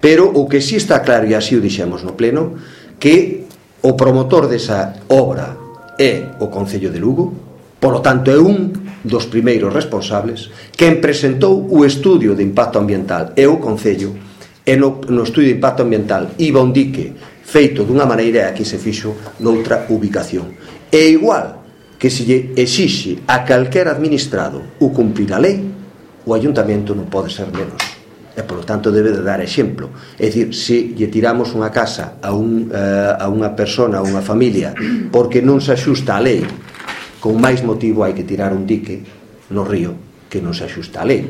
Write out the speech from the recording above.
Pero o que si está claro, e así o dixemos no pleno, que o promotor desa obra é o Concello de Lugo, polo tanto é un dos primeiros responsables. Quen presentou o estudio de impacto ambiental é o Concello, e no estudio de impacto ambiental iba un dique feito dunha maneira e aquí se fixo noutra ubicación. É igual que se lle exixe a calquer administrado o cumprir a lei, o ayuntamento non pode ser menos, e polo tanto debe de dar exemplo. É dicir, se lle tiramos unha casa a unha persona, a unha familia, porque non se axusta a lei, con máis motivo hai que tirar un dique no río que non se axusta a lei.